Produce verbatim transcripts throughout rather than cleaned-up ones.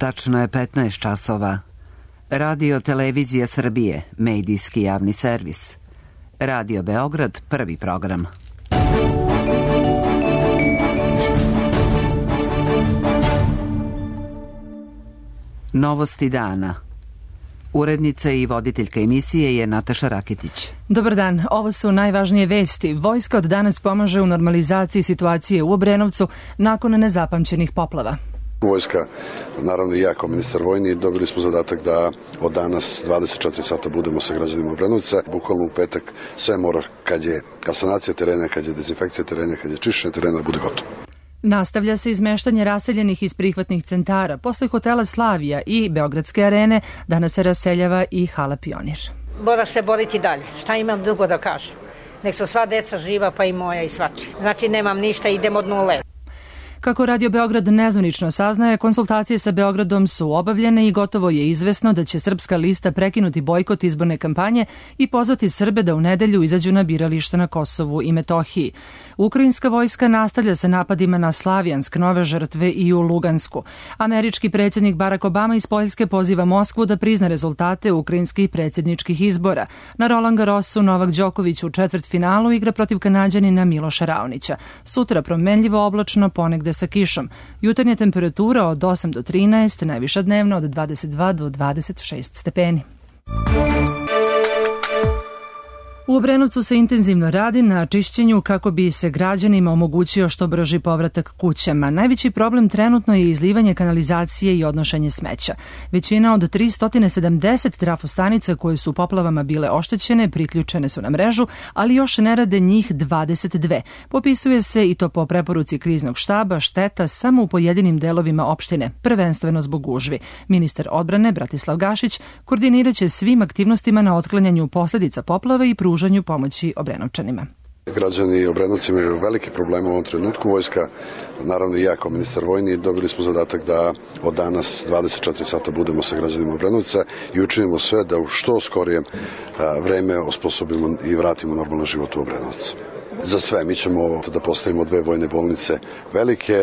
Tačno je petnaest časova. Radio Televizija Srbije, medijski javni servis. Radio Beograd, prvi program. Novosti dana. Urednica i voditeljka emisije je Nataša Rakitić. Dobar dan, ovo su najvažnije vesti. Vojska od danas pomaže u normalizaciji situacije u Obrenovcu nakon nezapamćenih poplava. Vojska, naravno i ja kao ministar vojni, dobili smo zadatak da od danas dvadeset četiri sata budemo sa građanima Obrenovca. Bukvalno u petak sve mora, kad je sanacija terena, kad je dezinfekcija terena, kad je čišćenje terena, da bude gotovo. Nastavlja se izmeštanje raseljenih iz prihvatnih centara. Posle hotela Slavija i Beogradske arene danas se raseljava i hala Pionir. Mora se boriti dalje. Šta imam drugo da kažem? Nek su sva deca živa, pa i moja i svačija. Znači nemam ništa, idem od nule. Kako Radio Beograd nezvanično saznaje, konsultacije sa Beogradom su obavljene i gotovo je izvesno da će Srpska lista prekinuti bojkot izborne kampanje i pozvati Srbe da u nedelju izađu na birališta na Kosovu i Metohiji. Ukrajinska vojska nastavlja sa napadima na Slavijansk, nove žrtve i u Lugansku. Američki predsjednik Barack Obama iz Poljske poziva Moskvu da prizna rezultate ukrajinskih predsjedničkih izbora. Na Roland Garrosu Novak Đoković u četvrtfinalu igra protiv Kanađanina Miloša Raonića. Sutra promenljivo oblačno, ponegde sa kišom. Jutarnja temperatura od osam do trinaest, najviša dnevno od dvadeset dva do dvadeset šest stepeni. U Obrenovcu se intenzivno radi na čišćenju kako bi se građanima omogućio što brži povratak kućama. Najveći problem trenutno je izlivanje kanalizacije i odnošenje smeća. Većina od tristo sedamdeset trafostanica koje su poplavama bile oštećene priključene su na mrežu, ali još ne rade njih dvadeset dve. Popisuje se i to po preporuci kriznog štaba šteta samo u pojedinim delovima opštine, prvenstveno zbog gužvi. Ministar odbrane Bratislav Gašić koordiniraće svim aktivnostima na otklanjanju posljedica poplava i pružanju pomoći Obrenovčanima. Građani Obrenovci imaju veliki problem u ovom trenutku. Vojska, naravno i ja kao ministar vojni, dobili smo zadatak da od danas dvadeset četiri sata budemo sa građanima Obrenovca i učinimo sve da u što skorijem vreme osposobimo i vratimo normalno život u Obrenovac. Za sve, mi ćemo da postavimo dve vojne bolnice velike,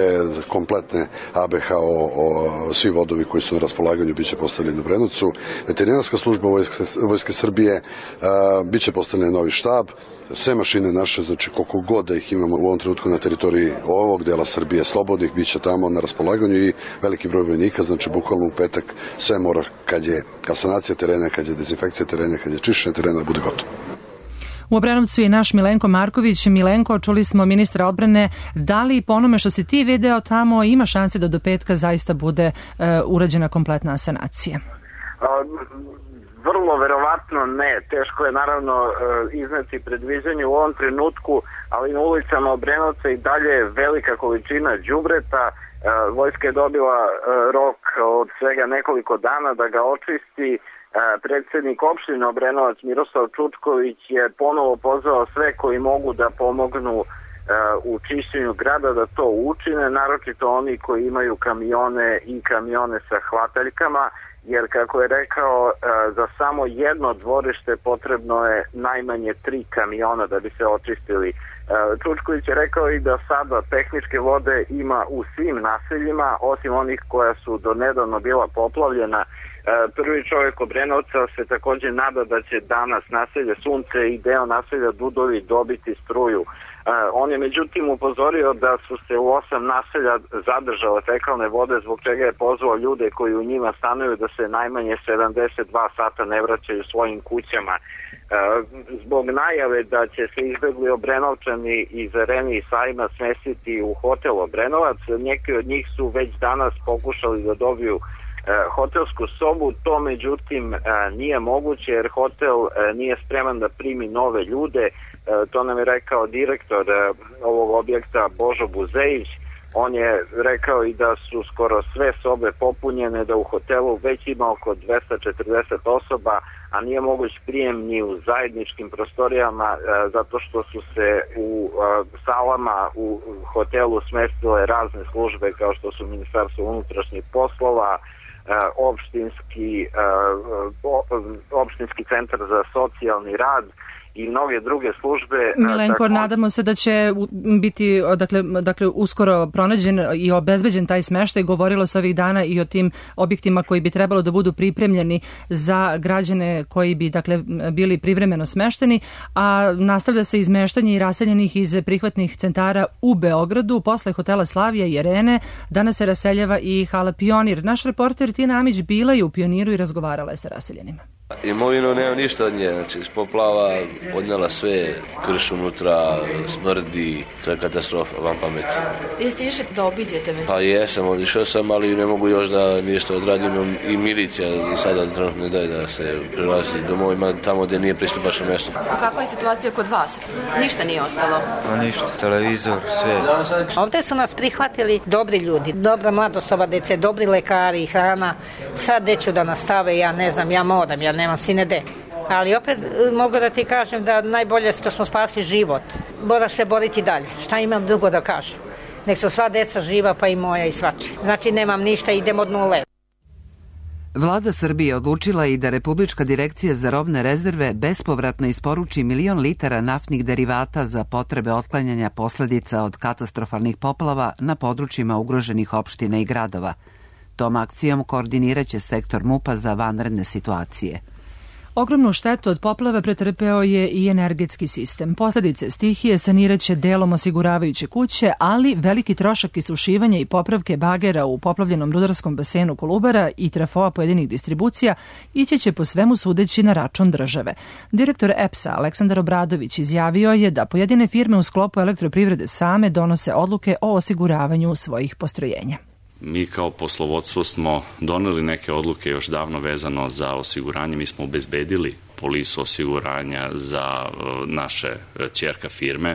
kompletne A B H O, o, svi vodovi koji su na raspolaganju biće postavljeni u Obrenovcu, veterinarska služba Vojske, Vojske Srbije, a, biće postavljen novi štab, sve mašine naše, znači koliko god da ih imamo u ovom trenutku na teritoriji ovog dela Srbije slobodnih, biće tamo na raspolaganju i veliki broj vojnika, znači bukvalno u petak sve mora, kad je sanacija terena, kad je dezinfekcija terena, kad je čišćenje terena, da bude gotovo. U Obrenovcu je naš Milenko Marković. Milenko, čuli smo ministra odbrane. Da li po onome što si ti video tamo ima šanse da do petka zaista bude uh, urađena kompletna sanacija? Vrlo verovatno ne. Teško je naravno izneti predviđanje u ovom trenutku, ali na ulicama Obrenovca i dalje je velika količina đubreta. Vojska je dobila rok od svega nekoliko dana da ga očisti. Predsjednik opštine Obrenovac Miroslav Čučković je ponovo pozvao sve koji mogu da pomognu u čišćenju grada da to učine, naročito oni koji imaju kamione i kamione sa hvataljkama, jer kako je rekao, za samo jedno dvorište potrebno je najmanje tri kamiona da bi se očistili. Čučković je rekao i da sada tehničke vode ima u svim naseljima, osim onih koja su do nedavno bila poplavljena. Prvi čovjek Obrenovca se također nada da će danas naselje Sunce i deo naselja Dudovi dobiti struju. On je međutim upozorio da su se u osam naselja zadržale fekalne vode, zbog čega je pozvao ljude koji u njima stanuju da se najmanje sedamdeset dva sata ne vraćaju svojim kućama. Zbog najave da će se izbegli Obrenovčani iz Arene i Sajma smestiti u hotel Obrenovac, neki od njih su već danas pokušali da dobiju hotelsku sobu, to međutim nije moguće jer hotel nije spreman da primi nove ljude. To nam je rekao direktor ovog objekta Božo Buzejić. On je rekao i da su skoro sve sobe popunjene, da u hotelu već ima oko dvesta četrdeset osoba, a nije moguć prijem ni u zajedničkim prostorijama zato što su se u salama u hotelu smestile razne službe kao što su Ministarstvo unutrašnjih poslova, opštinski, opštinski centar za socijalni rad i mnoge druge službe. Milenko, tako... nadamo se da će biti dakle, dakle, uskoro pronađen i obezbeđen taj smeštaj. Govorilo se ovih dana i o tim objektima koji bi trebalo da budu pripremljeni za građane koji bi dakle, bili privremeno smešteni, a nastavlja se izmeštanje i raseljenih iz prihvatnih centara u Beogradu. Posle hotela Slavija i Arene danas se raseljava i hala Pionir. Naš reporter Tina Amić bila je u Pioniru i razgovarala je sa raseljenima. Imovinu nema ništa od nje, znači iz poplava odnela sve, krš unutra, smrdi, to je katastrofa, vam pameti. Jeste išli da obiđete me? Pa jesam, odišao sam, ali ne mogu još da ništa odradim i milicija sada trenutno ne daje da se prelazi domovima tamo gdje nije pristupačno mjesto. Kakva je situacija kod vas? Ništa nije ostalo? Pa ništa, televizor, sve. Ovdje su nas prihvatili dobri ljudi, dobra mladosoba dece, dobri lekari i hrana. Sad gde ću da nastave, ja ne znam, ja moram, ja nemam sine de. Ali opet mogu da ti kažem da najbolje što smo spasili život. Moraš se boriti dalje. Šta imam drugo da kažem? Nek su sva deca živa, pa i moja i svači. Znači nemam ništa, idem od nule. Vlada Srbije odlučila i da Republička direkcija za robne rezerve bespovratno isporuči milion litara naftnih derivata za potrebe otklanjanja posledica od katastrofalnih poplava na područjima ugroženih opština i gradova. Tom akcijom koordiniraće sektor MUP-a za vanredne situacije. Ogromnu štetu od poplava pretrpeo je i energetski sistem. Posledice stihije saniraće delom osiguravajuće kuće, ali veliki trošak isušivanja i popravke bagera u poplavljenom rudarskom basenu Kolubara i trafoa pojedinih distribucija ići će po svemu sudeći na račun države. Direktor E P S-a Aleksandar Obradović izjavio je da pojedine firme u sklopu elektroprivrede same donose odluke o osiguravanju svojih postrojenja. Mi kao poslovodstvo smo doneli neke odluke još davno vezano za osiguranje. Mi smo obezbedili polisu osiguranja za naše ćerka firme.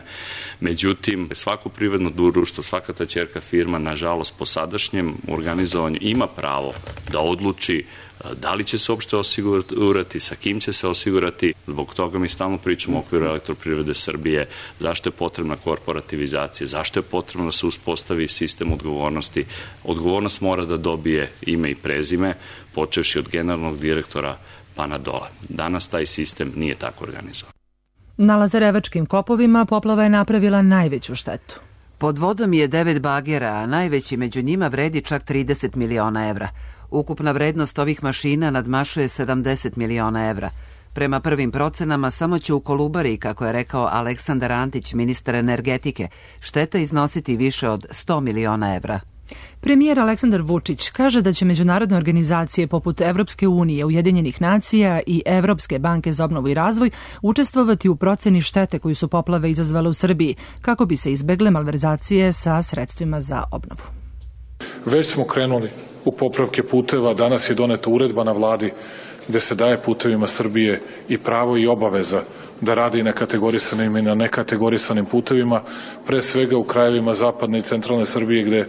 Međutim, svako privredno društvo, svaka ta ćerka firma, nažalost, po sadašnjem organizovanju ima pravo da odluči da li će se uopšte osigurati, sa kim će se osigurati. Zbog toga mi stalno pričamo u okviru elektroprivrede Srbije, zašto je potrebna korporativizacija, zašto je potrebno da se uspostavi sistem odgovornosti. Odgovornost mora da dobije ime i prezime, počevši od generalnog direktora pa na dole. Danas taj sistem nije tako organizovan. Na Lazarevačkim kopovima poplava je napravila najveću štetu. Pod vodom je devet bagera, a najveći među njima vredi čak trideset miliona evra. Ukupna vrednost ovih mašina nadmašuje sedamdeset miliona evra. Prema prvim procenama, samo će u Kolubari, kako je rekao Aleksandar Antić, ministar energetike, šteta iznositi više od sto miliona evra. Premijer Aleksandar Vučić kaže da će međunarodne organizacije poput Evropske unije, Ujedinjenih nacija i Evropske banke za obnovu i razvoj učestvovati u proceni štete koju su poplave izazvale u Srbiji, kako bi se izbegle malverzacije sa sredstvima za obnovu. Već smo krenuli u popravke puteva, danas je doneta uredba na vladi gde se daje putevima Srbije i pravo i obaveza da radi na kategorisanim i na nekategorisanim putevima, pre svega u krajevima zapadne i centralne Srbije gde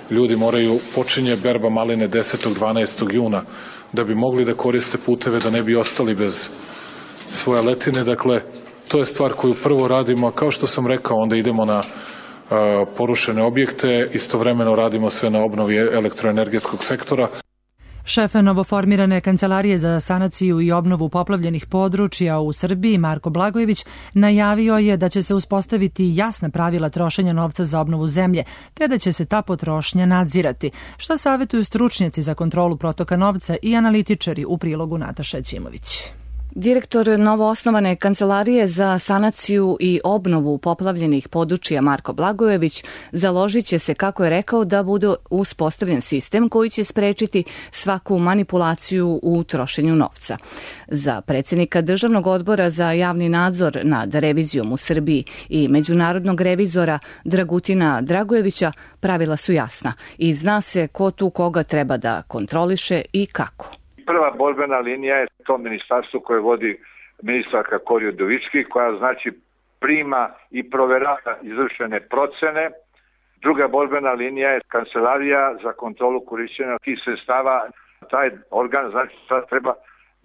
ljudi moraju, počinje berba maline desetog dvanaestog juna, da bi mogli da koriste puteve, da ne bi ostali bez svoje letine. Dakle, to je stvar koju prvo radimo, a kao što sam rekao, onda idemo na a, porušene objekte, istovremeno radimo sve na obnovi elektroenergetskog sektora. Šef novoformirane Kancelarije za sanaciju i obnovu poplavljenih područja u Srbiji, Marko Blagojević, najavio je da će se uspostaviti jasna pravila trošenja novca za obnovu zemlje, te da će se ta potrošnja nadzirati. Šta savjetuju stručnjaci za kontrolu protoka novca i analitičari u prilogu Nataša Ćimović. Direktor novoosnovane Kancelarije za sanaciju i obnovu poplavljenih područja Marko Blagojević založit će se, kako je rekao, da bude uspostavljen sistem koji će sprečiti svaku manipulaciju u trošenju novca. Za predsjednika Državnog odbora za javni nadzor nad revizijom u Srbiji i međunarodnog revizora Dragutina Dragojevića pravila su jasna i zna se ko tu koga treba da kontroliše i kako. Prva borbena linija je to ministarstvo koje vodi ministarka Kori Udovički, koja znači prima i proverava izvršene procene. Druga borbena linija je Kancelarija za kontrolu korišćenja tih sredstava. Taj organ znači sad treba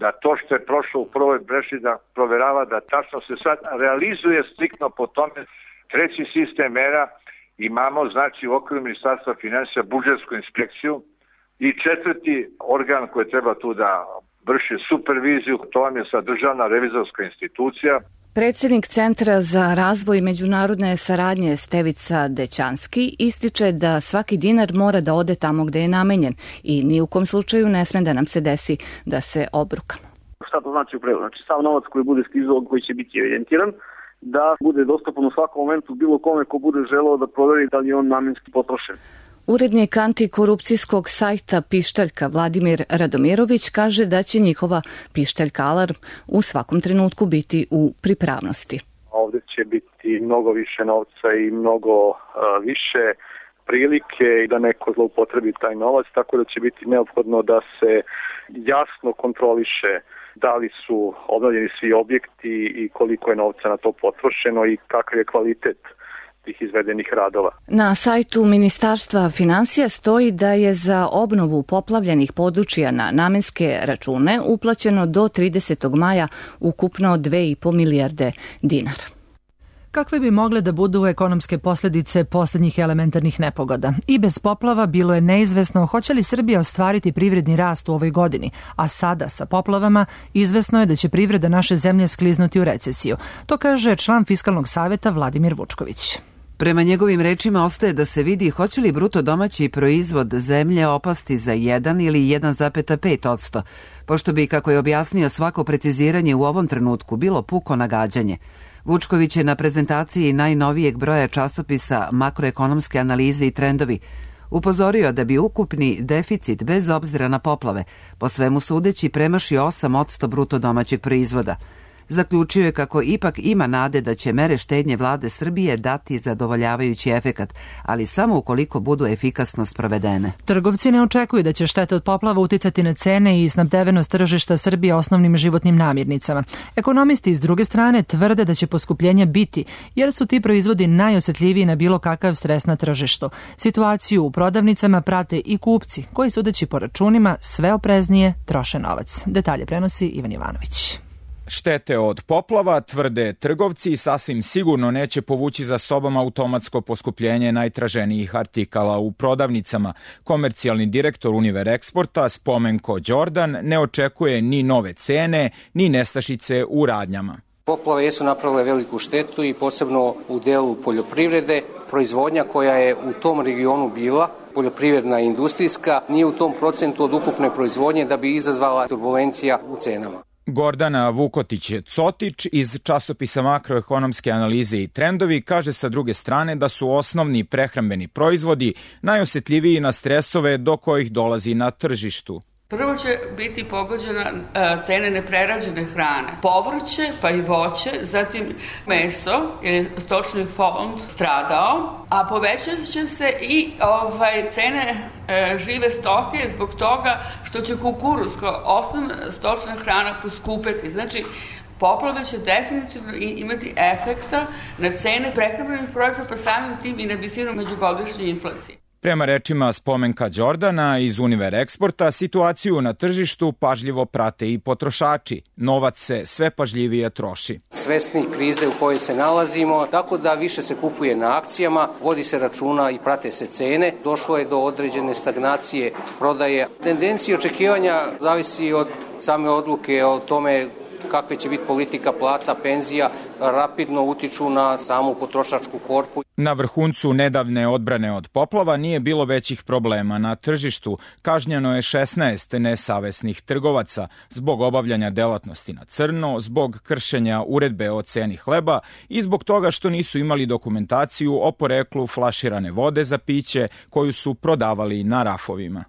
da to što je prošlo u prvoj breši da proverava, da tačno se sad realizuje striktno po tome. Treći sistem mera imamo znači u okviru ministarstva finansija budžetsku inspekciju. I četvrti organ koji treba tu da vrši superviziju, to vam je sad Državna revizorska institucija. Predsjednik Centra za razvoj međunarodne saradnje Stevica Dećanski ističe da svaki dinar mora da ode tamo gde je namenjen i ni u kom slučaju ne sme da nam se desi da se obrukamo. Šta to znači u prevodu? Znači sav novac koji bude stizao, koji će biti evidentiran, da bude dostupan u svakom momentu bilo kome ko bude želeo da proveri da li je on namenski potrošen. Urednik antikorupcijskog sajta Pištaljka Vladimir Radomirović kaže da će njihova Pištaljka Alarm u svakom trenutku biti u pripravnosti. Ovdje će biti mnogo više novca i mnogo uh, više prilike i da neko zloupotrebi taj novac, tako da će biti neophodno da se jasno kontroliše da li su obnovljeni svi objekti i koliko je novca na to potrošeno i kakav je kvalitet tih izvedenih radova. Na sajtu Ministarstva finansija stoji da je za obnovu poplavljenih područja na namenske račune uplaćeno do tridesetog maja ukupno dve i po milijarde dinara. Kakve bi mogle da budu ekonomske posljedice posljednjih elementarnih nepogoda? I bez poplava bilo je neizvesno hoće li Srbija ostvariti privredni rast u ovoj godini, a sada sa poplavama izvesno je da će privreda naše zemlje skliznuti u recesiju. To kaže član Fiskalnog saveta Vladimir Vučković. Prema njegovim rečima ostaje da se vidi hoće li bruto domaći proizvod zemlje opasti za jedan ili jedan zarez pet posto, pošto bi, kako je objasnio, svako preciziranje u ovom trenutku bilo puko nagađanje. Vučković je na prezentaciji najnovijeg broja časopisa Makroekonomske analize i trendovi upozorio da bi ukupni deficit bez obzira na poplave po svemu sudeći premašio osam posto bruto domaćeg proizvoda. Zaključio je kako ipak ima nade da će mere štednje vlade Srbije dati zadovoljavajući efekat, ali samo ukoliko budu efikasno sprovedene. Trgovci ne očekuju da će štete od poplava uticati na cene i snabdevenost tržišta Srbije osnovnim životnim namirnicama. Ekonomisti s druge strane tvrde da će poskupljenja biti, jer su ti proizvodi najosetljiviji na bilo kakav stres na tržištu. Situaciju u prodavnicama prate i kupci, koji sudeći po računima sve opreznije troše novac. Detalje prenosi Ivan Jovanović. Štete od poplava, tvrde trgovci, sasvim sigurno neće povući za sobom automatsko poskupljenje najtraženijih artikala u prodavnicama. Komercijalni direktor Univer Eksporta Spomenko Đordan ne očekuje ni nove cene, ni nestašice u radnjama. Poplave jesu napravile veliku štetu i posebno u delu poljoprivrede. Proizvodnja koja je u tom regionu bila, poljoprivredna i industrijska, nije u tom procentu od ukupne proizvodnje da bi izazvala turbulencija u cenama. Gordana Vukotić-Cotić iz časopisa Makroekonomske analize i trendovi kaže sa druge strane da su osnovni prehrambeni proizvodi najosjetljiviji na stresove do kojih dolazi na tržištu. Prvo će biti pogođena cene neprerađene hrane, povrće pa i voće, zatim meso jer je stočni fond stradao, a povećat će se i ovaj, cene e, žive stoke zbog toga što će kukuruz kao osnovna stočna hrana poskupeti. Znači, poplave će definitivno imati efekta na cene prehrambenih proizvoda, pa samim tim i na visinu međugodišnje inflacije. Prema rečima Spomenka Đordana iz Univer Eksporta, situaciju na tržištu pažljivo prate i potrošači. Novac se sve pažljivije troši. Svesni krize u kojoj se nalazimo, tako da više se kupuje na akcijama, vodi se računa i prate se cene. Došlo je do određene stagnacije prodaje. Tendencija očekivanja zavisi od same odluke o tome kakve će biti politika plata, penzija, rapidno utiču na samu potrošačku korpu. Na vrhuncu nedavne odbrane od poplava nije bilo većih problema na tržištu. Kažnjeno je šesnaest nesavesnih trgovaca zbog obavljanja delatnosti na crno, zbog kršenja uredbe o ceni hleba i zbog toga što nisu imali dokumentaciju o poreklu flaširane vode za piće koju su prodavali na rafovima.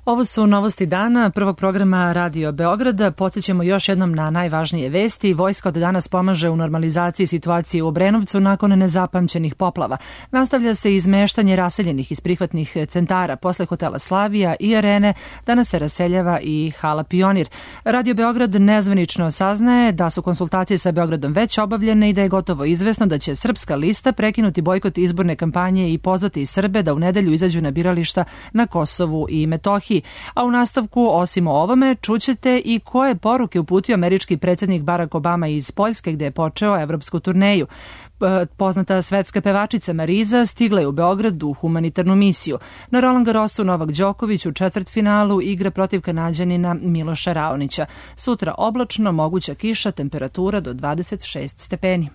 Ovo su novosti dana prvog programa Radio Beograda. Podsjećamo još jednom na najvažnije vesti. Vojska od danas pomaže u normalizaciji situacije u Obrenovcu nakon nezapamćenih poplava. Nastavlja se izmeštanje raseljenih iz prihvatnih centara. Posle hotela Slavija i Arene danas se raseljava i hala Pionir. Radio Beograd nezvanično saznaje da su konsultacije sa Beogradom već obavljene i da je gotovo izvesno da će Srpska lista prekinuti bojkot izborne kampanje i pozvati Srbe da u nedelju izađu na birališta na Kosovu i Metohiji. A u nastavku, osim o ovome, čućete i koje poruke uputio američki predsjednik Barack Obama iz Poljske gde je počeo evropsku turneju. Poznata svetska pevačica Mariza stigla je u Beograd u humanitarnu misiju. Na Roland Garrosu Novak Đoković u četvrtfinalu igra protiv Kanađanina Miloša Raonića. Sutra oblačno, moguća kiša, temperatura do dvadeset šest stepeni.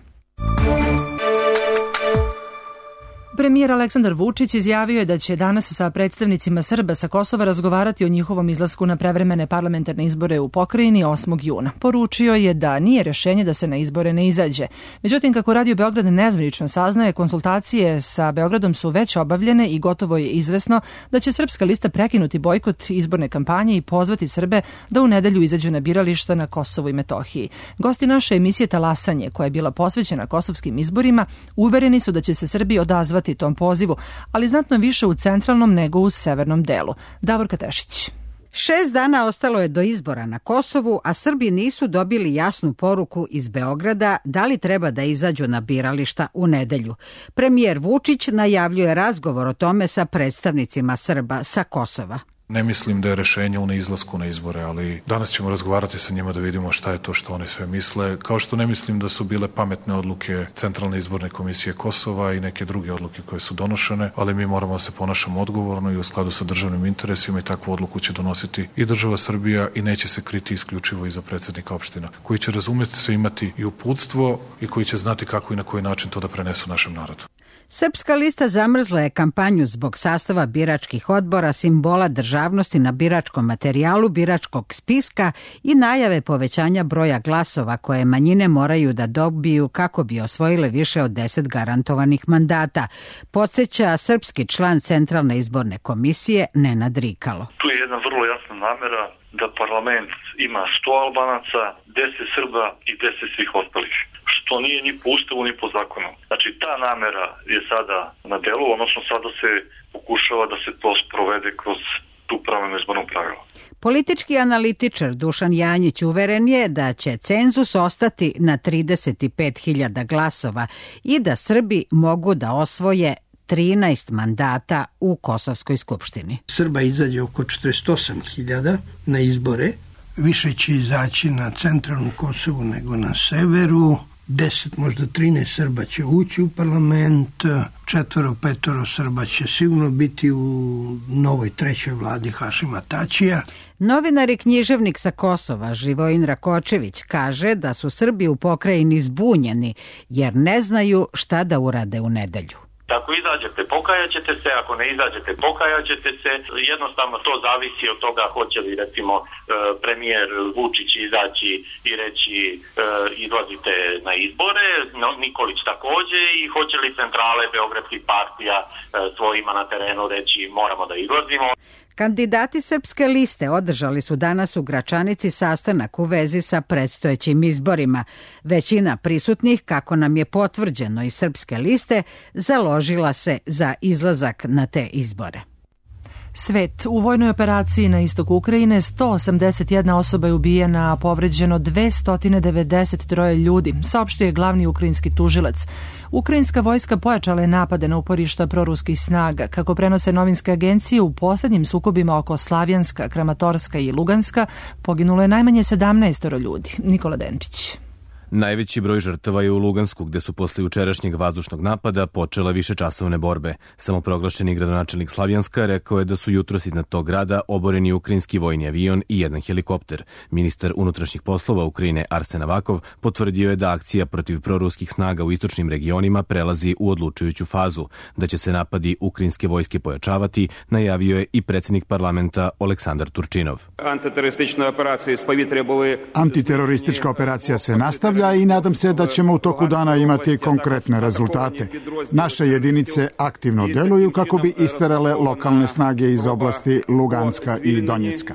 Premijer Aleksandar Vučić izjavio je da će danas sa predstavnicima Srba sa Kosova razgovarati o njihovom izlasku na prevremene parlamentarne izbore u pokrajini osmog juna. Poručio je da nije rešenje da se na izbore ne izađe. Međutim, kako Radio Beograd nezvanično saznaje, konsultacije sa Beogradom su već obavljene i gotovo je izvesno da će Srpska lista prekinuti bojkot izborne kampanje i pozvati Srbe da u nedelju izađu na birališta na Kosovu i Metohiji. Gosti naše emisije Talasanje, koja je bila posvećena kosovskim izborima, uvereni su da će se Srbi odazvati tom pozivu, ali znatno više u centralnom nego u severnom delu. Davorka Tešić. Šest dana ostalo je do izbora na Kosovu, a Srbi nisu dobili jasnu poruku iz Beograda da li treba da izađu na birališta u nedelju. Premijer Vučić najavljuje razgovor o tome sa predstavnicima Srba sa Kosova. Ne mislim da je rešenje u neizlasku na izbore, ali danas ćemo razgovarati sa njima da vidimo šta je to što oni sve misle, kao što ne mislim da su bile pametne odluke Centralne izborne komisije Kosova i neke druge odluke koje su donošene, ali mi moramo da se ponašamo odgovorno i u skladu sa državnim interesima i takvu odluku će donositi i država Srbija i neće se kriti isključivo iza predsednika opština, koji će razumeti se imati i uputstvo i koji će znati kako i na koji način to da prenesu našem narodu. Srpska lista zamrzla je kampanju zbog sastava biračkih odbora, simbola državnosti na biračkom materijalu biračkog spiska i najave povećanja broja glasova koje manjine moraju da dobiju kako bi osvojile više od deset garantovanih mandata, podsjeća srpski član Centralne izborne komisije Nenad Rikalo. Tu je jedna vrlo jasna namera da parlament ima sto Albanaca, deset Srba i deset svih ostalih, što nije ni po ustavu ni po zakonu. Znači ta namera je sada na delu, odnosno sada se pokušava da se to sprovede kroz tu promenu izbornog pravila. Politički analitičar Dušan Janjić uveren je da će cenzus ostati na trideset pet hiljada glasova i da Srbi mogu da osvoje trinaest mandata u Kosovskoj skupštini. Srba izađe oko četrdeset osam hiljada na izbore, više će izaći na centralnu Kosovu nego na severu, deset, možda trinaest Srba će ući u parlament, četvoro, petoro Srba će sigurno biti u novoj trećoj vladi Hašima Tačija. Novinar i književnik sa Kosova Živojin Rakočević kaže da su Srbi u pokrajini zbunjeni jer ne znaju šta da urade u nedelju. Ako izađete, pokajaćete se, ako ne izađete, pokajaćete se. Jednostavno to zavisi od toga hoće li recimo premijer Vučić izaći i reći izlazite na izbore, Nikolić takođe, i hoće li centrale beogradskih partija svojima na terenu reći moramo da izlazimo. Kandidati Srpske liste održali su danas u Gračanici sastanak u vezi sa predstojećim izborima. Većina prisutnih, kako nam je potvrđeno iz Srpske liste, založila se za izlazak na te izbore. Svet. U vojnoj operaciji na istoku Ukrajine sto osamdeset jedna osoba je ubijena, a povređeno dvesta devedeset tri ljudi, saopštio je glavni ukrajinski tužilac. Ukrajinska vojska pojačala je napade na uporišta proruskih snaga. Kako prenose novinske agencije, u poslednjim sukobima oko Slavjanska, Kramatorska i Luganska poginulo je najmanje sedamnaest ljudi. Nikola Denčić. Najveći broj žrtava je u Lugansku, gde su posle jučerašnjeg vazdušnog napada počela višečasovne borbe. Samoproglašeni gradonačelnik Slavjanska rekao je da su jutros iznad tog grada oboreni ukrajinski vojni avion i jedan helikopter. Ministar unutrašnjih poslova Ukrajine Arsen Avakov potvrdio je da akcija protiv proruskih snaga u istočnim regionima prelazi u odlučujuću fazu. Da će se napadi ukrajinske vojske pojačavati, najavio je i predsjednik parlamenta Oleksandar Turčinov. Antiteroristička operacija se nastavlja i nadam se da ćemo u toku dana imati konkretne rezultate. Naše jedinice aktivno deluju kako bi isterale lokalne snage iz oblasti Luganska i Donjecka.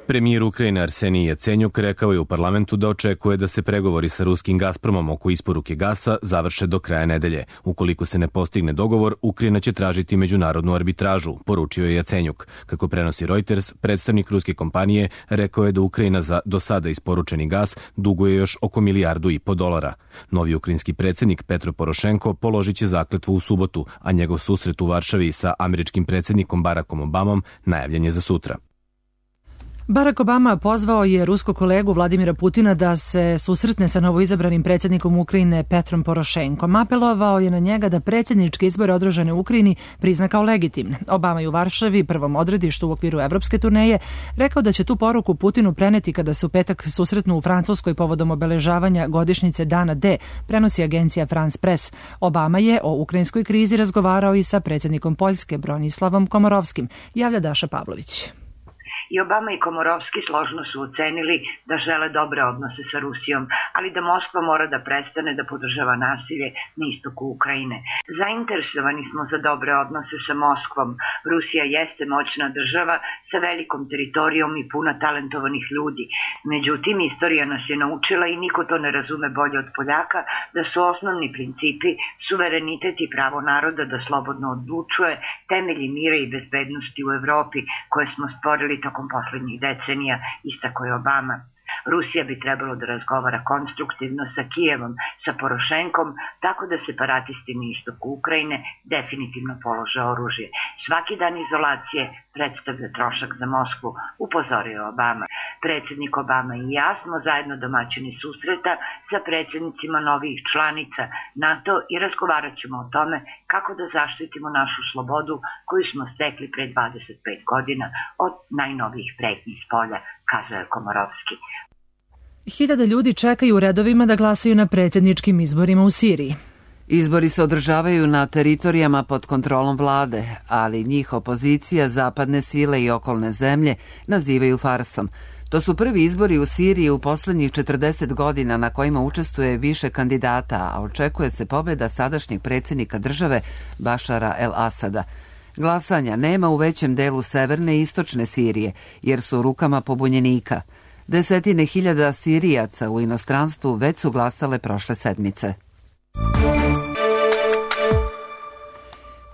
Premijer Ukrajine Arsenij Jacenjuk rekao je u parlamentu da očekuje da se pregovori sa ruskim Gazpromom oko isporuke gasa završe do kraja nedelje. Ukoliko se ne postigne dogovor, Ukrajina će tražiti međunarodnu arbitražu, poručio je Jacenjuk. Kako prenosi Reuters, predstavnik ruske kompanije rekao je da Ukrajina za do sada isporučeni gas duguje još oko milijardu i po dolara. Novi ukrajinski predsjednik Petro Porošenko položit će zakletvu u subotu, a njegov susret u Varšavi sa američkim predsjednikom Barackom Obamom najavljen je za sutra. Barack Obama pozvao je ruskog kolegu Vladimira Putina da se susretne sa novoizabranim predsjednikom Ukrajine Petrom Porošenkom. Apelovao je na njega da predsjedničke izbore održane u Ukrajini prizna kao legitimne. Obama je u Varšavi, prvom odredištu u okviru evropske turneje, rekao da će tu poruku Putinu preneti kada se u petak susretnu u Francuskoj povodom obeležavanja godišnjice Dana D, prenosi agencija France Press. Obama je o ukrajinskoj krizi razgovarao i sa predsjednikom Poljske Bronislavom Komorovskim, javlja Daša Pavlović. I Obama i Komorovski složno su ocenili da žele dobre odnose sa Rusijom, ali da Moskva mora da prestane da podržava nasilje na istoku Ukrajine. Zainteresovani smo za dobre odnose sa Moskvom. Rusija jeste moćna država sa velikom teritorijom i puna talentovanih ljudi. Međutim, istorija nas je naučila i niko to ne razume bolje od Poljaka da su osnovni principi suverenitet i pravo naroda da slobodno odlučuje temelji mira i bezbednosti u Evropi koje smo stvorili tokom poslednjih decenija, istako je Obama. Rusija bi trebalo da razgovara konstruktivno sa Kijevom, sa Porošenkom, tako da separatisti na istoku Ukrajine definitivno polože oružje. Svaki dan izolacije predstavlja trošak za Moskvu, upozorio Obama. Predsjednik Obama i ja smo zajedno domaćini susreta sa predsjednicima novih članica NATO i razgovarat ćemo o tome kako da zaštitimo našu slobodu koju smo stekli pre dvadeset pet godina od najnovijih pretnji s polja, kazao je Komorovski. Hiljade ljudi čekaju u redovima da glasaju na predsjedničkim izborima u Siriji. Izbori se održavaju na teritorijama pod kontrolom vlade, ali njih opozicija, zapadne sile i okolne zemlje nazivaju farsom. To su prvi izbori u Siriji u poslednjih četrdeset godina na kojima učestvuje više kandidata, a očekuje se pobjeda sadašnjeg predsjednika države Bašara el-Asada. Glasanja nema u većem delu severne i istočne Sirije, jer su u rukama pobunjenika. Desetine hiljada Sirijaca u inostranstvu već su glasale prošle sedmice.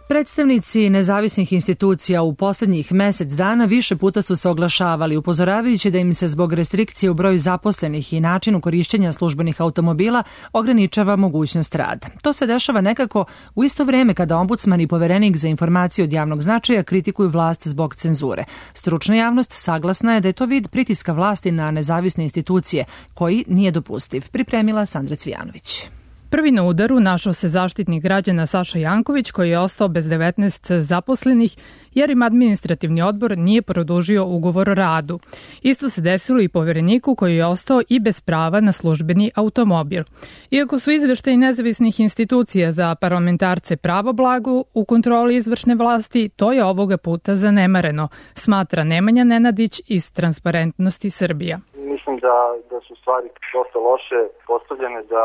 Predstavnici nezavisnih institucija u posljednjih mesec dana više puta su se oglašavali, upozoravajući da im se zbog restrikcije u broju zaposlenih i načinu korišćenja službenih automobila ograničava mogućnost rada. To se dešava nekako u isto vrijeme kada ombudsman i poverenik za informacije od javnog značaja kritikuju vlast zbog cenzure. Stručna javnost saglasna je da je to vid pritiska vlasti na nezavisne institucije, koji nije dopustiv, pripremila Sandra Cvijanović. Prvi na udaru našao se zaštitnik građana Saša Janković, koji je ostao bez devetnaest zaposlenih jer im administrativni odbor nije produžio ugovor o radu. Isto se desilo i povereniku koji je ostao i bez prava na službeni automobil. Iako su izveštaji nezavisnih institucija za parlamentarce pravo blago u kontroli izvršne vlasti, to je ovoga puta zanemareno, smatra Nemanja Nenadić iz Transparentnosti Srbija. Mislim da, da su stvari dosta loše postavljene, da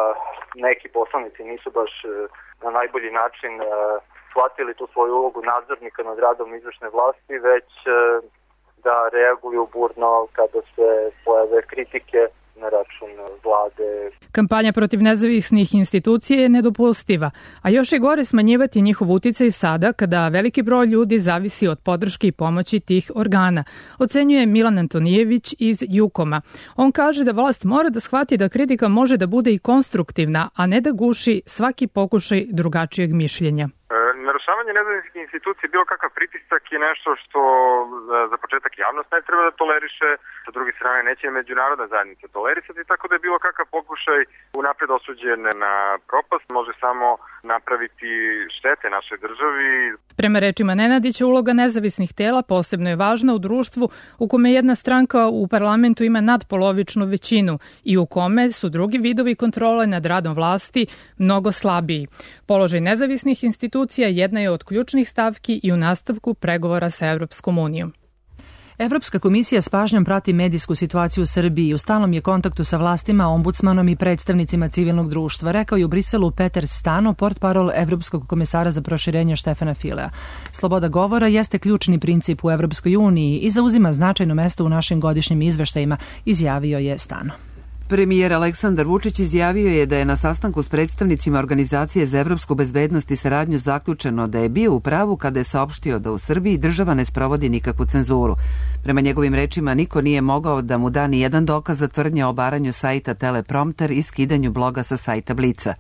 neki poslanici nisu baš na najbolji način shvatili tu svoju ulogu nadzornika nad radom izvršne vlasti, već da reaguju burno kada se pojave kritike na račun vlade. Kampanja protiv nezavisnih institucija je nedopustiva, a još je gore smanjivati njihov uticaj sada kada veliki broj ljudi zavisi od podrške i pomoći tih organa, ocenjuje Milan Antonijević iz Jukoma. On kaže da vlast mora da shvati da kritika može da bude i konstruktivna, a ne da guši svaki pokušaj drugačijeg mišljenja. Narušavanje nezavisnih institucija, bilo kakav pritisak je nešto što za početak javnost ne treba da toleriše, sa druge strane neće međunarodna zajednica tolerisati, tako da je bilo kakav pokušaj unapred osuđen na propast, može samo napraviti štete našoj državi. Prema rečima Nenadića, uloga nezavisnih tela posebno je važna u društvu u kome jedna stranka u parlamentu ima nadpolovičnu većinu i u kome su drugi vidovi kontrole nad radom vlasti mnogo slabiji. Položaj nezavisnih institucija jedna je od ključnih stavki i u nastavku pregovora sa Evropskom unijom. Evropska komisija s pažnjom prati medijsku situaciju u Srbiji i u stalnom je kontaktu sa vlastima, ombudsmanom i predstavnicima civilnog društva, rekao je u Briselu Peter Stano, portparol Evropskog komesara za proširenje Štefana Filea. Sloboda govora jeste ključni princip u Evropskoj uniji i zauzima značajno mesto u našim godišnjim izveštajima, izjavio je Stano. Premijer Aleksandar Vučić izjavio je da je na sastanku s predstavnicima Organizacije za evropsku bezbednost i saradnju zaključeno da je bio u pravu kada je saopštio da u Srbiji država ne sprovodi nikakvu cenzuru. Prema njegovim rečima, niko nije mogao da mu da ni jedan dokaz za tvrdnje o obaranju sajta Teleprompter i skidanju bloga sa sajta Blica.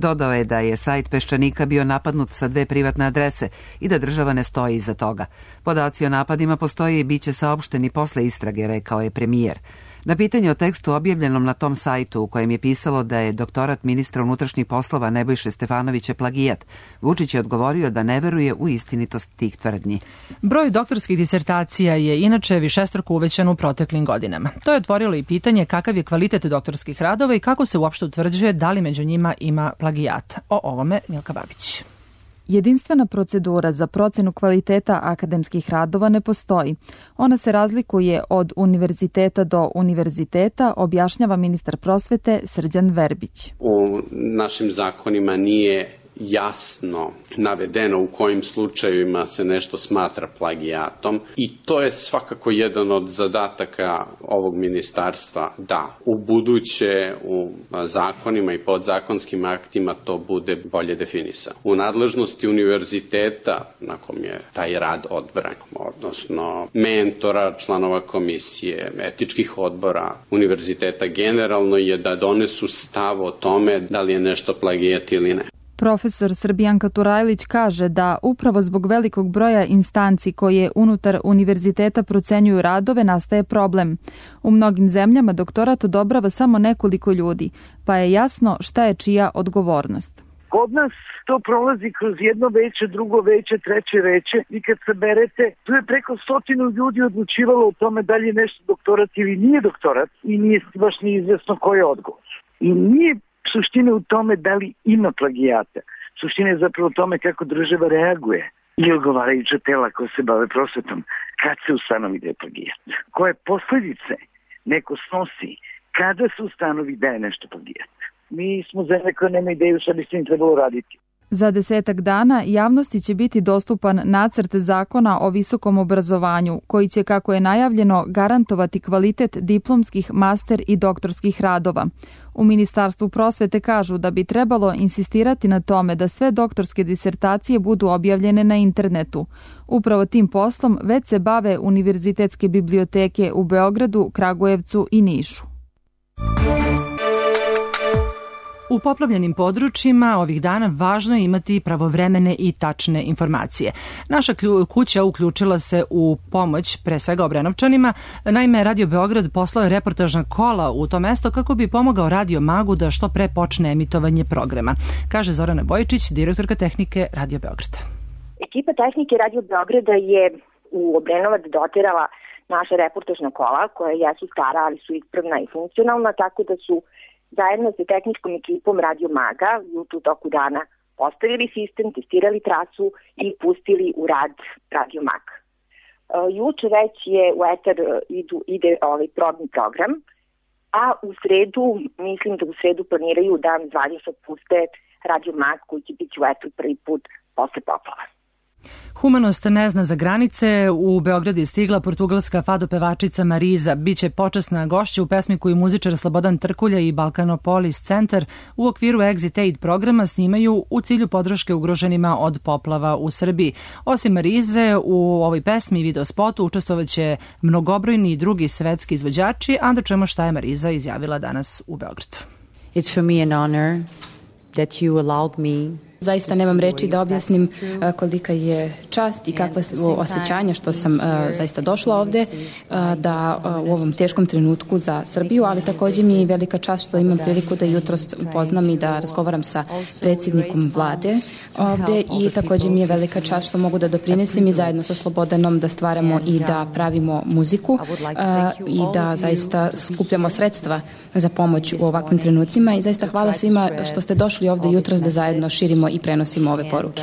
Dodao je da je sajt Peščanika bio napadnut sa dve privatne adrese i da država ne stoji iza toga. Podaci o napadima postoje i bit će saopšteni posle istrage, rekao je premijer. Na pitanje o tekstu objavljenom na tom sajtu u kojem je pisalo da je doktorat ministra unutrašnjih poslova Nebojše Stefanovića plagijat, Vučić je odgovorio da ne veruje u istinitost tih tvrdnji. Broj doktorskih disertacija je inače višestruko uvećan u proteklim godinama. To je otvorilo i pitanje kakav je kvalitet doktorskih radova i kako se uopšte utvrđuje da li među njima ima plagijata. O ovome Milka Babić. Jedinstvena procedura za procenu kvaliteta akademskih radova ne postoji. Ona se razlikuje od univerziteta do univerziteta, objašnjava ministar prosvete Srđan Verbić. U našim zakonima nije jasno navedeno u kojim slučajevima se nešto smatra plagijatom i to je svakako jedan od zadataka ovog ministarstva da u buduće u zakonima i podzakonskim aktima to bude bolje definisano. U nadležnosti univerziteta na kom je taj rad odbran, odnosno mentora, članova komisije, etičkih odbora univerziteta generalno je da donesu stav o tome da li je nešto plagijat ili ne. Profesor Srbijanka Turajlić kaže da upravo zbog velikog broja instanci koje unutar univerziteta procenjuju radove nastaje problem. U mnogim zemljama doktorat odobrava samo nekoliko ljudi, pa je jasno šta je čija odgovornost. Kod nas to prolazi kroz jedno veće, drugo veće, treće veće i kad saberete, tu je preko stotinu ljudi odlučivalo o tome da li je nešto doktorat ili nije doktorat i nije baš ni izvesno ko je odgovor. I nije suština u tome da li ima plagijata. Suština je zapravo u tome kako država reaguje i odgovarajuća tela koja se bave prosvetom. Kad se ustanovi da je plagijat? Koje posledice neko snosi kada se ustanovi da je nešto plagijat? Mi smo zemlje koje nema ideju šta bi s tim trebalo raditi. Za desetak dana javnosti će biti dostupan nacrt zakona o visokom obrazovanju, koji će, kako je najavljeno, garantovati kvalitet diplomskih, master i doktorskih radova. U Ministarstvu prosvete kažu da bi trebalo insistirati na tome da sve doktorske disertacije budu objavljene na internetu. Upravo tim poslom već se bave univerzitetske biblioteke u Beogradu, Kragujevcu i Nišu. U poplavljenim područjima ovih dana važno je imati pravovremene i tačne informacije. Naša kuća uključila se u pomoć pre svega Obrenovčanima. Naime, Radio Beograd poslao je reportažna kola u to mesto kako bi pomogao Radio Magu da što pre počne emitovanje programa, kaže Zorana Bojičić, direktorka tehnike Radio Beograda. Ekipa tehnike Radio Beograda je u Obrenovac doterala naša reportažna kola koja jesu stara, ali su ispravna i funkcionalna, tako da su zajedno sa tehničkom ekipom Radio Maga u toku dana postavili sistem, testirali trasu i pustili u rad Radio Mag. E, juče već je u etar idu, ide ovaj probni program, a u sredu, mislim da u sredu planiraju da zvanično puste Radio Mag koji će biti u etar prvi put posle poplava. Humanost ne zna za granice. U Beograd je stigla portugalska fado pevačica Mariza. Biće počasna gošća u pesmi koju muzičar Slobodan Trkulja i Balkanopolis centar u okviru Exit Aid programa snimaju u cilju podrške ugroženima od poplava u Srbiji. Osim Marize, u ovoj pesmi i videospotu učestvovaće mnogobrojni drugi svetski izvođači, a da čujemo šta je Mariza izjavila danas u Beogradu. It's for me an honor that you allowed me. Zaista nemam reči da objasnim kolika je čast i kakva su osjećanja što sam zaista došla ovde da u ovom teškom trenutku za Srbiju, ali takođe mi je velika čast što imam priliku da jutros upoznam i da razgovaram sa predsjednikom vlade ovde i takođe mi je velika čast što mogu da doprinesem i zajedno sa Slobodanom da stvaramo i da pravimo muziku i da zaista skupljamo sredstva za pomoć u ovakvim trenucima i zaista hvala svima što ste došli ovde jutros da zajedno širimo i prenosimo ove poruke.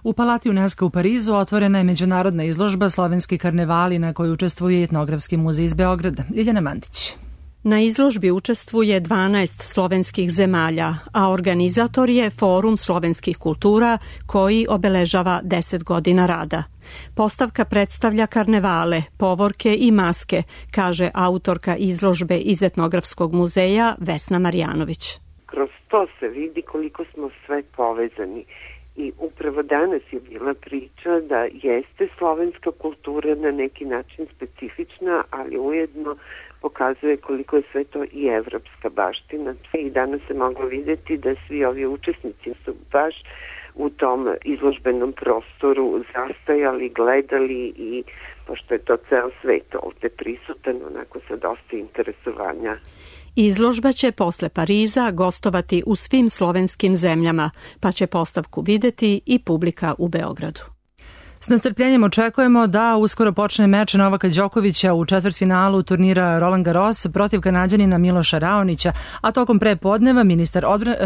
U Palati UNESCO u Parizu otvorena je međunarodna izložba Slovenski karnevali na kojoj učestvuje Etnografski muzej iz Beograda. Ljiljana Mandić. Na izložbi učestvuje dvanaest slovenskih zemalja, a organizator je Forum slovenskih kultura koji obeležava deset godina rada. Postavka predstavlja karnevale, povorke i maske, kaže autorka izložbe iz Etnografskog muzeja Vesna Marjanović. Kroz to se vidi koliko smo sve povezani i upravo danas je bila priča da jeste slovenska kultura na neki način specifična, ali ujedno pokazuje koliko je sve to i evropska baština. I danas se moglo vidjeti da svi ovi učesnici su baš u tom izložbenom prostoru zastajali, gledali i pošto je to ceo svet ovde prisutan, onako sa dosta interesovanja. Izložba će posle Pariza gostovati u svim slovenskim zemljama, pa će postavku videti i publika u Beogradu. S nestrpljenjem očekujemo da uskoro počne meč Novaka Đokovića u četvrtfinalu turnira Roland Garros protiv Kanađanina Miloša Raonića, a tokom prepodneva ministar, odbra, e,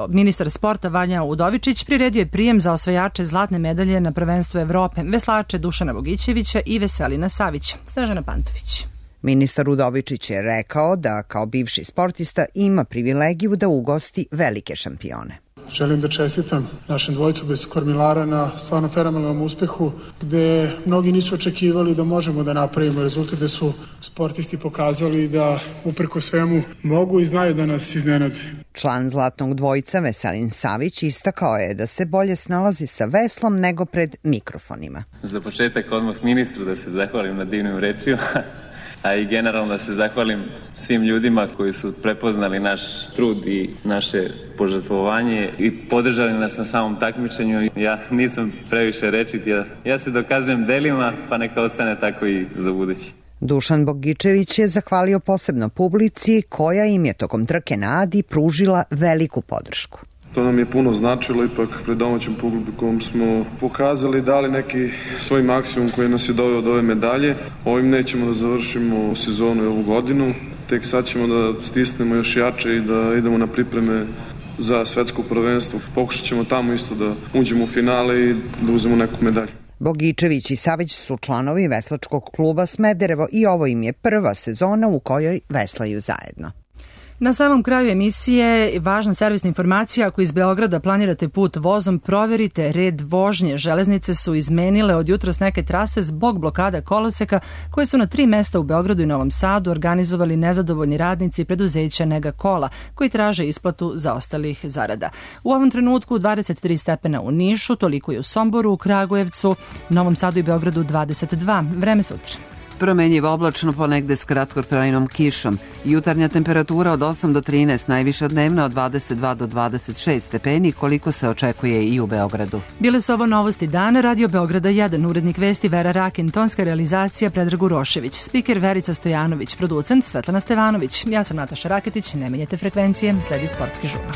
ministar sporta Vanja Udovičić priredio je prijem za osvajače zlatne medalje na prvenstvu Evrope, veslače Dušana Bogićevića i Veselina Savića. Snežana Pantović. Ministar Udovičić je rekao da kao bivši sportista ima privilegiju da ugosti velike šampione. Želim da čestitam našem dvojcu bez kormilara na stvarno fenomenalnom uspehu, gde mnogi nisu očekivali da možemo da napravimo rezultat, gde su sportisti pokazali da uprko svemu mogu i znaju da nas iznenade. Član zlatnog dvojca Veselin Savić istakao je da se bolje snalazi sa veslom nego pred mikrofonima. Za početak odmah ministru da se zahvalim na divnim rečima, a i generalno da se zahvalim svim ljudima koji su prepoznali naš trud i naše požrtvovanje i podržali nas na samom takmičenju. Ja nisam previše rečit, ja, ja se dokazujem delima, pa neka ostane tako i za budući. Dušan Bogićević je zahvalio posebno publici koja im je tokom trke na Adi pružila veliku podršku. To nam je puno značilo, ipak pred domaćim publikom smo pokazali, dali neki svoj maksimum koji nas je doveo do ove medalje. Ovim nećemo da završimo sezonu i ovu godinu, tek sad ćemo da stisnemo još jače i da idemo na pripreme za svetsko prvenstvo. Pokušat ćemo tamo isto da uđemo u finale i da uzmemo neku medalju. Bogićević i Savić su članovi veslačkog kluba Smederevo i ovo im je prva sezona u kojoj veslaju zajedno. Na samom kraju emisije važna servisna informacija: ako iz Beograda planirate put vozom, proverite red vožnje. Železnice su izmenile od jutros neke trase zbog blokada koloseka koje su na tri mesta u Beogradu i Novom Sadu organizovali nezadovoljni radnici preduzeća Nega Kola koji traže isplatu zaostalih zarada. U ovom trenutku dvadeset tri stepena u Nišu, toliko i u Somboru, u Kragujevcu, Novom Sadu i Beogradu dvadeset dva. Vreme sutra. Promenjivo oblačno, ponegde s kratkotrajnom kišom. Jutarnja temperatura od osam do trinaest, najviša dnevna od dvadeset dva do dvadeset šest stepeni, koliko se očekuje i u Beogradu. Bile su ovo novosti dana, Radio Beograda jedan, urednik vesti Vera Rakin, tonska realizacija Predrag Urošević, spiker Verica Stojanović, producent Svetlana Stevanović. Ja sam Nataša Raketić, ne menjajte frekvencije, sledi sportski žurnal.